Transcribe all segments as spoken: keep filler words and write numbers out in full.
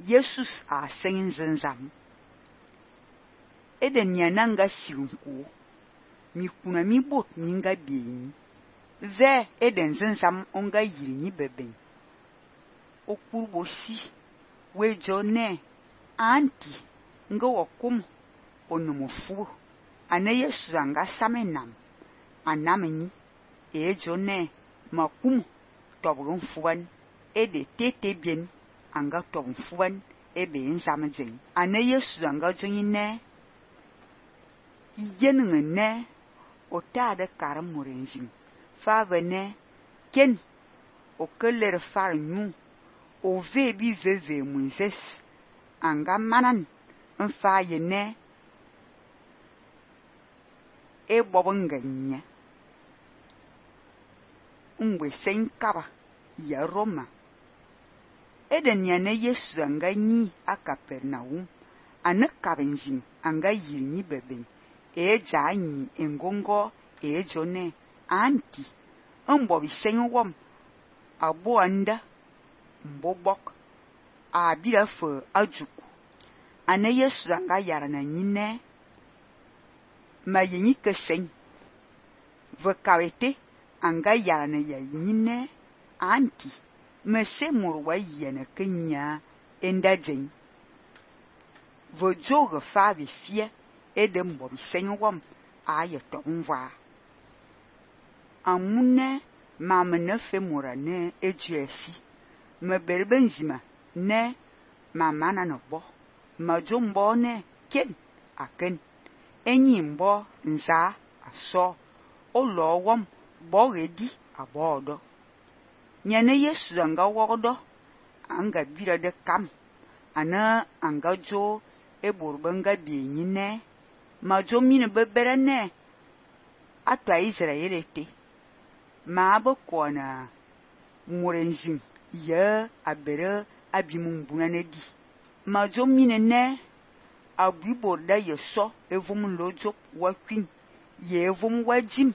Jesus a sen zenzam. Eden nyananga siunku. Mi kuna mi bot ninga bieni. Ve eden zenzam onga yilni beben. Okurbo si. Wejo ne. Anti. Nga wakum. Onomofu. Ane Yesu anga samenam. Anameni. Ejo ne. Makum. Tobron fuan. Ede tete bien. Anga tobron fuan. Ebe nzamzen. Ane Yesu anga jonyi ne. Yenenge ne. Otade karam morenjim. Fave ne. Ken. Okeler far nyu. Ove bi veve mwizes. Anga manan. Nfaye ne. E bobonga nye. Mwe sen kaba. Ya Roma. Eden yane Yesu anga nyi a Kapernaum. Ane kabenjim anga yilni beben. E ja nyi engongo e jone. Anti. Mbo bisen wom. Abo anda. Mbobok. A bila fe ajuku. Ane Yesu anga yarana nyine. Ma yenyi kesen. Ve kawete. Anga yarana ya nyine. Anti. Mese murwa yene kenya. Enda jen. Ve joge fave fie. Ede mbo bisen wom. A ye tongwa. Amune. Ma mene fe mura ne. Ejuesi. Me berbenzima. Ne. Ma mana no bo. Ma jombo ne. Ken. Aken. Enyi mbo. Nza. Aso. Olo wom. Bo redi. Abodo. Nyane Yesu anga wodo. Anga bira de kam. Ana anga jo. Eborbenga bienyi ne. Ma jo mine bebere ne. Atwa Israel ete. Ma abo kwa na. Morenjim. Ye abere abimumbuna ne di. Ma jo mine ne. Abu borda ye so. Evum lojo wakwin. Ye evum wajim.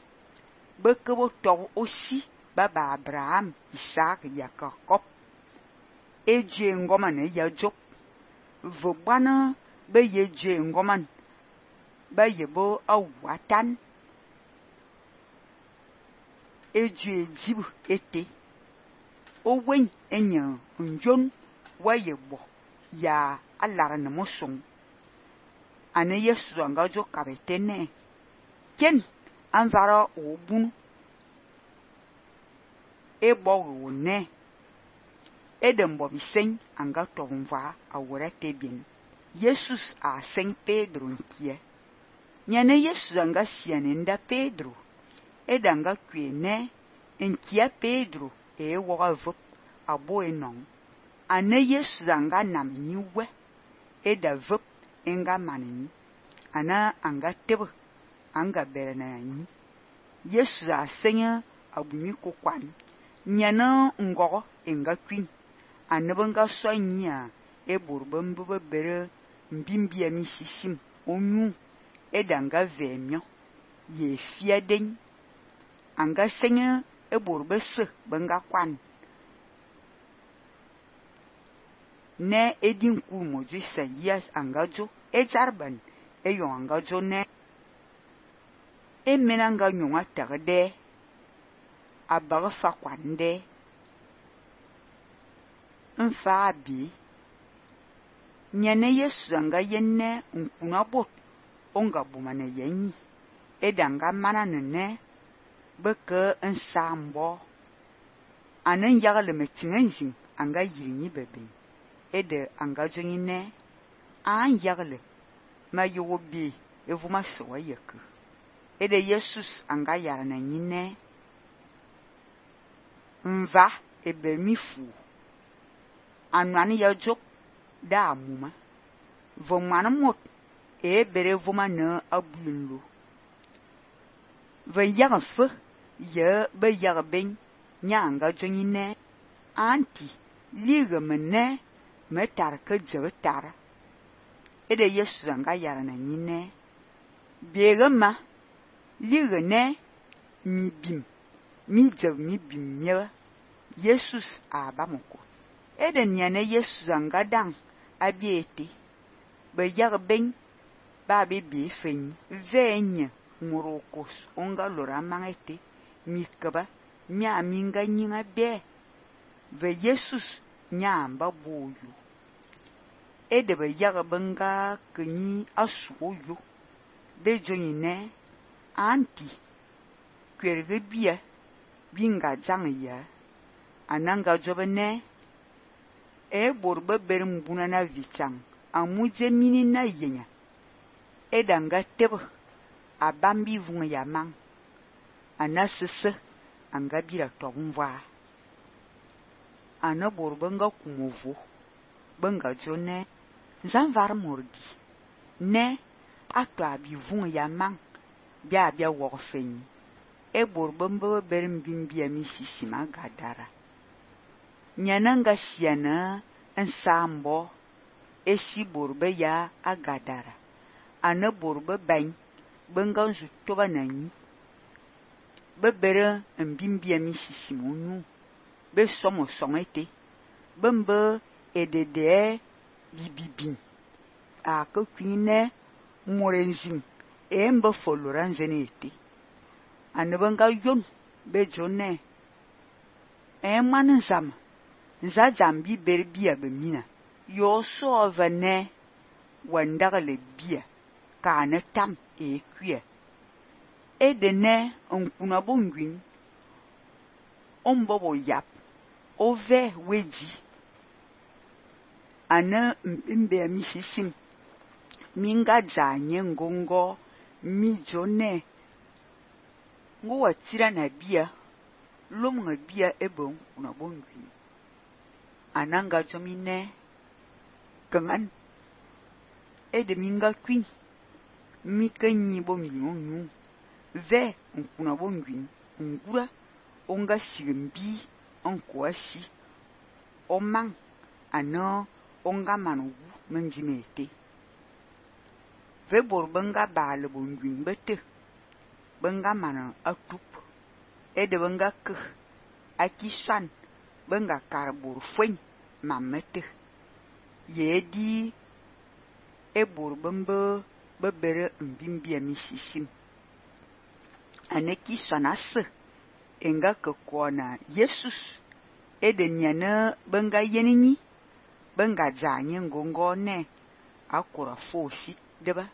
Bekebo tob osi. Baba Abraham. Isaac Yakakop. Eje ngoman e ya jok. Vobana. Be ye je ngoman. Ba yebo awatan. Eje jibu ete. Owen enye njon wa yebo. Ya alara na mosong. Ane Yesu anga jo kabete ne. Ken anvara obun. Ebo ne. Eden bobi sen anga tonva awore tebien. Jesus a sen Pedro nkie. Nyane Yesu anga sianenda Pedro. Edanga kwe ne. Nkia Pedro e woga vop abo enong. Ane Yesu anga nam niwe. Eda vop enga manini. Ana anga tebe. Anga bere na yanyi. Yesu a senya abunyi kokwan. Nyana ngogo enga kwin. Anebenga soanyi a eborbe mbebe bere mbimbia misishim. Onyu edanga vemyo. Ye fiaden. Anga senya eborbe se benga kwan. Ne edin kou moju se yes anga jo. E jarban. E yon anga jo ne. E menanga nyonga terde. Abaga fa kwande. Nfa abi. Nyane Yesu anga yenne nkuna bot. Onga bumane yenyi. Edanga manane ne. Beke nsambo. Anen yagale metingenjin. Anga yirni bebe. Ede anga jonyi ne. An yagale. Ma yogo bi. Evuma sewa yeku. Ede Jesus anga yarana nyine. Mva ebe mifu. Anwani ya jok da amuma. Vomana mot e bere voma ne abuyinlo. Ve yaga fe ye be yaga ben nyanga jonyi ne. Anti liga mene me tar ke jebe tara. Ede Yesu anga yarana nyine. Bege ma liga ne mi bim. Mi jeb mi bim nyewe. Jesus abamoko. Eden yane Yesu anga dang abiete be yag ben ba be be fen venye ngorokos onga lora mangete mikaba nya minga nyinga be ve Jesus nya mba boyo ede be yag benga kenyi asuyo be joni ne anti kwerve bia binga jang ya ananga jobene e borbe berim buna na vichang amuje mini na yenya edanga tebe abambi vunga ya mang anasese anga bira tobumva ana borbe nga kumovo benga jone zanvar mordi ne atwa bi vunga ya mang bia bia wogfeni e borbe mbe berim bimbia mi sisima gadara nyananga siana ensambo eshi borbe ya agadara ana borbe bain benga nzu toba nanyi bebere mbimbia mi sisimonu be somo songete bembe edede bibibin a ko kwine morenzin e mbe foloran zenete ana benga yon be jone e man zam za jambi berbia be mina yo so vene wandara le bia ka na tam e kwie e de ne onkuna bongwin ombobo yap ove weji ana mbe mi sisim minga janye ngongo mi jone ngo watira na bia lom nga bia ebon kuna bongwin ananga jomine kangan ede minga kwin mi kanyi bongwin onyu ve nkuna bongwin ngura onga sigimbi onkwasi omang ano onga manu menjimete ve borbenga bale bongwin bete benga mana atup ede benga ke akisan benga karbur fwen mamete yedi e borbembe bebere mbimbia misisim aneki sanase enga ke kona Jesus ede nyana benga yeninyi benga janye ngongo ne akura fosi deba